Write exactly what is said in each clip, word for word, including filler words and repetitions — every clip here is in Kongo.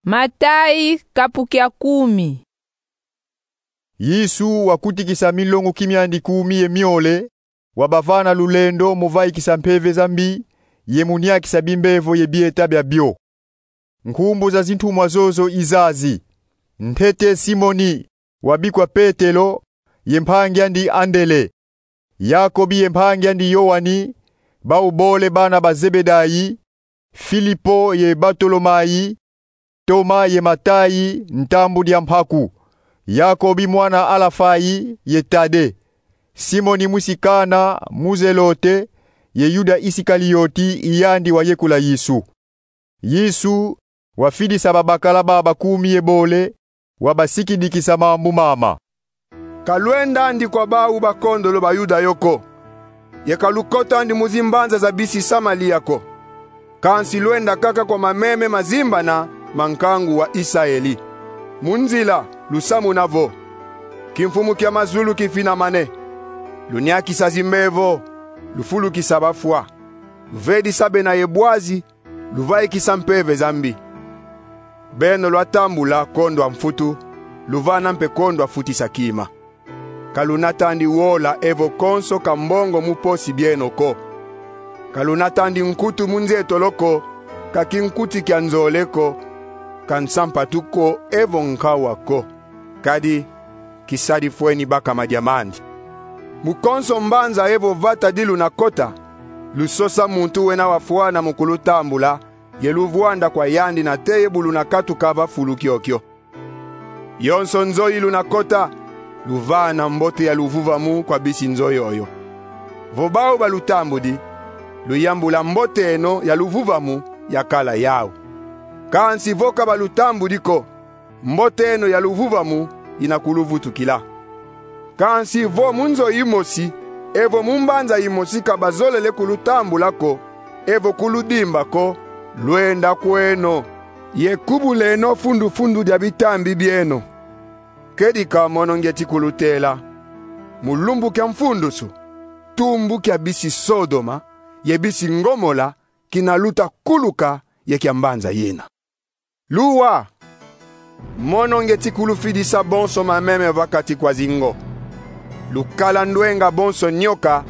Matayi, kapu kia kumi. Yesu wakutikisa milonguki miandi kumi ye miole, wabavana lulendo mu vaikisa mpeve za mbi, ye mu niakisa bimbevo ye bieta biabio. Nkumbu za zintumwa zozo i zazi: ntete Simoni, wabikwa Petelo, ye mpangi andi Andele, Yakobi ye mpangi andi Yoani, bau bole bana ba Zebedayi, Filipo ye Batolomayi, Toma ye Matayi, ntambu dia mpaku, Yakobi mwana Alafayi ye Tade, Simoni mwisi Kana mu Zelote, ye Yuda Isikalioti, i yandi wayekula Yesu. Yesu wafidisa babakala baba kumi ye bole, wabasikidikisa mambu mama: Ka lwendandi kwa bau bakondolo ba Yuda yo ko, ye ka lukotandi mu zimbanza za bisi Samalia ko. Kansi lwenda kaka kwa mameme mazimbana ma nkangu wa Isaeli. Mu nzila lusamuna vo: Kimfumu kia mazulu kifinamane, luniakisa zimbevo, lufulukisa bafwa, luvedisa bena ye bwazi, luvaikisa mpeve za mbi. Beno lwatambula kondwa mfutu, luvana mpe kondwa futisa kima. Ka lunatandi wola evo konso ka mbongo mu posi bieno ko. Ka lunatandi nkutu mu nzietolo ko, ka kinkuti kia nzole ko, ka nsampatu ko, evo nkawa ko. Kadi kisadi fweni bakama diamandi. Mu konso mbanza evo vata di lunakota, lusosa muntu wena wafwana mu kulutambula, ye luvwanda kwa yandi nate ye bu lunakatuka va fulu kiokio. Yonso nzo yi lunakota, luvana mbote ya luvuvamu kwa bisi nzo yoyo. Vo bau balutambudi, luyambula mbote eno ya luvuvamu yakala yau. Kansi vo ka balutambudi ko, mbote eno ya luvuvamu ina kuluvutukila. Kansi vo mu nzo yimosi evo mu mbanza yimosi ka bazolele kulutambula ko, evo kuludimba ko, lwenda kweno, ye kubuleno fundu-fundu dia bitambi bieno. Kedika mono ngieti kulutela: mu lumbu kia mfundusu, tumbu kia bisi Sodoma ye bisi Ngomola kina luta kuluka ye kia mbanza yina. Luwa! Mono ngieti kulufidisa bonso mameme va kati kwa zingo. Lukala ndwenga bonso nyoka,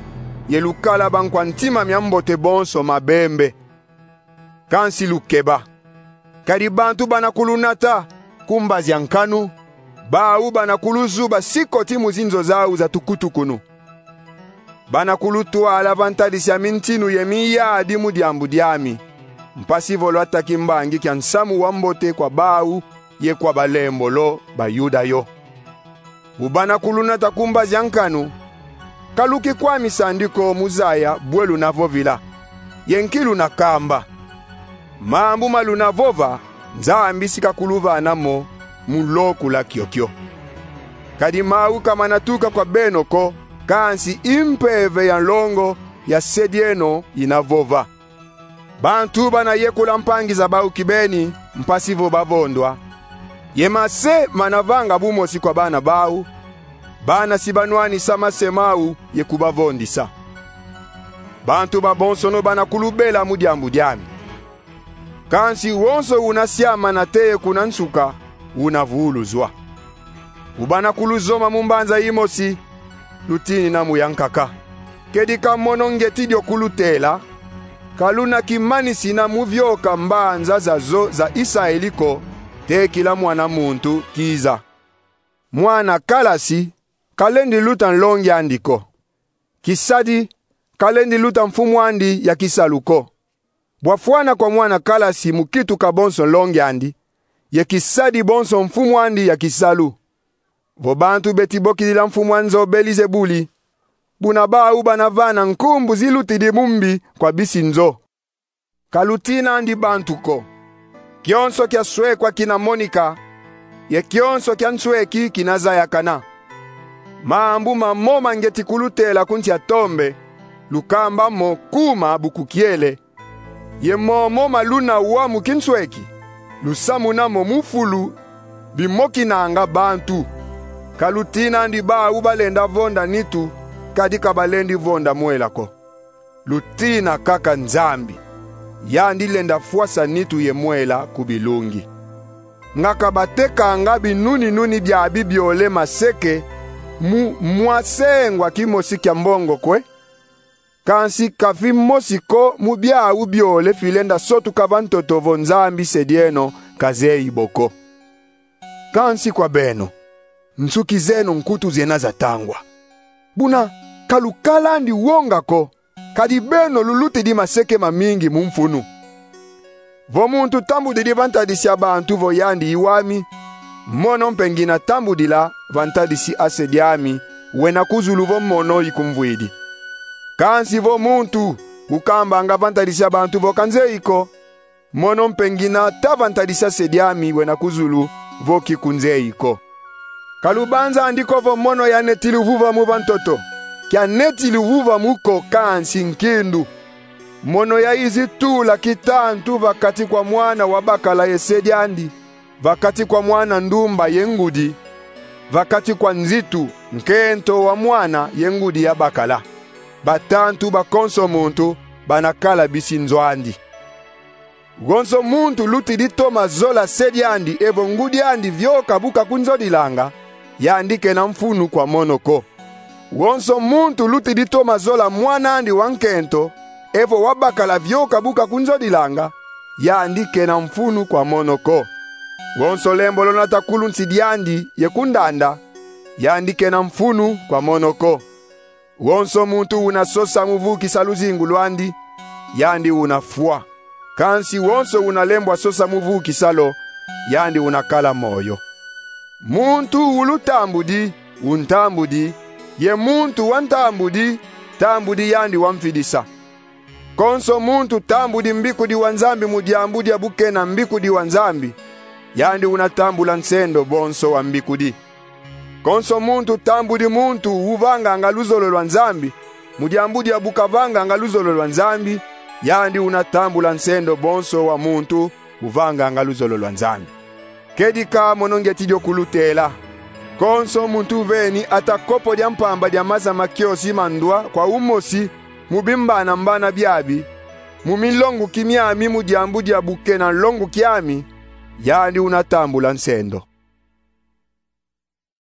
ye lukala bankwa ntima mia mbote bonso mabembe. Kansi lukeba! Kadi bantu bana kulunata ku mbazi a nkanu, bau bana kuluzuba sikoti mu zinzo zau za tukutukunu. Bana kulutwala va ntadisi a mintinu ye miyadi mu diambu diami, mpasi vo lwata kimbangi kia nsamu wa mbote kwa bau ye kwa balembolo ba Yuda yo. Bu bana kulunata ku mbazi a nkanu, ka lukikwamisandi ko mu zaya bwe lunavovila ye nki lunakamba. Mambu ma lunavova, Nzambi si kakuluvana mo mu lokula kiokio. Kadi mau ka mana tuka kwa beno ko, kansi i mpeve ya nlongo ya se dieno ina vova. Bantu bana yekula mpangi za bau kibeni, mpasi vo bavondwa, ye mase mana vanga bumosi kwa bana bau, bana si banwanisa mase mau ye kubavondisa. Bantu babonsono bana kulubela mu diambu diami. Kansi wonso una siama nate ye kuna nsuka, una vuuluzwa. Bu bana kuluzoma mu mbanza yimosi, lutinina mu yankaka. Kedika mono ngieti dio kulutela: ka luna kimanisina mu vioka mbanza zazo za Isaeli ko, tekila Mwana muntu kiza. Mwana kalasi ka lendi luta nlongi andi ko. Kisadi ka lendi luta mfumu andi ya kisalu ko. Bwafwana kwa mwana kalasi mu kituka bonso nlongi andi, ye kisadi bonso mfumu andi ya kisalu. Vo bantu beti bokidila mfumu a nzo Belizebuli, buna bau bana vana nkumbu zilutidi mu mbi kwa bisi nzo. Ka lutinandi bantu ko. Kionso kia swekwa kina monika, ye kionso kia nsweki kina zayakana. Mambu mamoma ngieti kulutela ku nsi a tombe, lukamba mo kuma bu kukiele, ye momo ma luna wa mu kinsweki, lusamuna mo mu fulu, bimokinanga bantu. Ka lutinandi bau balenda vonda nitu, kadi ka balendi vonda mwela ko. Lutina kaka Nzambi. Yandi lenda fwasa nitu ye mwela ku bilungi. Nga kabatekanga binuni-nuni biabi biole maseke mu mwa sengwa kimosi kia mbongo kwe? Kansi ka fimosi ko mu biau biole filenda sotuka va ntoto vo Nzambi se dieno kazeyi bo ko. Kansi kwa beno, nsuki zeno nkutu zena zatangwa. Buna, ka lukalandi wonga ko, kadi beno lulutidi maseke mamingi mu mfunu. Vo muntu tambudidi va ntadisi a bantu vo yandi i wami, mono mpe ngina tambudila va ntadisi a se diami wena ku zulu vo mono ikumvwidi. Kansi vo muntu ukambanga va ntadisi a bantu vo kanzeyi ko, mono mpe ngina ta va ntadisi a se diami wena ku zulu vo kikunzeyi ko. Ka lubanzandi ko vo mono yaneti luvuvamu va ntoto, kianeti luvuvamu ko kansi nkindu. Mono yayizi tula kitantu va kati kwa mwana wa bakala ye se diandi, va kati kwa mwana ndumba ye ngudi, va kati kwa nzitu, nkento wa mwana ye ngudi ya bakala. Batantu ba konso muntu bana kala bisi nzo andi. Wonso muntu lutidi toma zola se diandi evo ngudi andi vioka bu kakunzodilanga, yandi kena mfunu kwa mono ko. Wonso muntu lutidi toma zola mwana andi wa nkento evo wa bakala vioka bu kakunzodilanga, yandi kena mfunu kwa mono ko. Wonso lembolo nata ku lunsi diandi ye ku ndanda, yandi kena mfunu kwa mono ko. Wonso muntu una sosa mu vukisa luzingu lwandi, yandi una fwa. Kansi wonso una lembwa sosa mu vukisa lo, yandi una kala moyo. Muntu ulutambudi, untambudi, ye muntu wantambudi, tambudi yandi wamfidisa. Konso muntu tambudi mbikudi wa Nzambi mu diambu dia bu kena mbikudi wa Nzambi, yandi una tambula nsendo bonso wa mbikudi. Konso muntu tambudi muntu uvanganga luzolo lwa Nzambi mu diambu dia bu kavanganga luzolo lwa Nzambi, yandi una tambula nsendo bonso wa muntu uvanganga luzolo lwa Nzambi. Kedika mono ngeti dio kulutela. Konso muntu uveni ata kopo dia mpamba dia maza ma kiosi ma ndwa kwa umosi mu bimbanambana biabi, mu milonguki miami mu diambu dia bu kena nlonguki ami, yandi una tambula nsendo.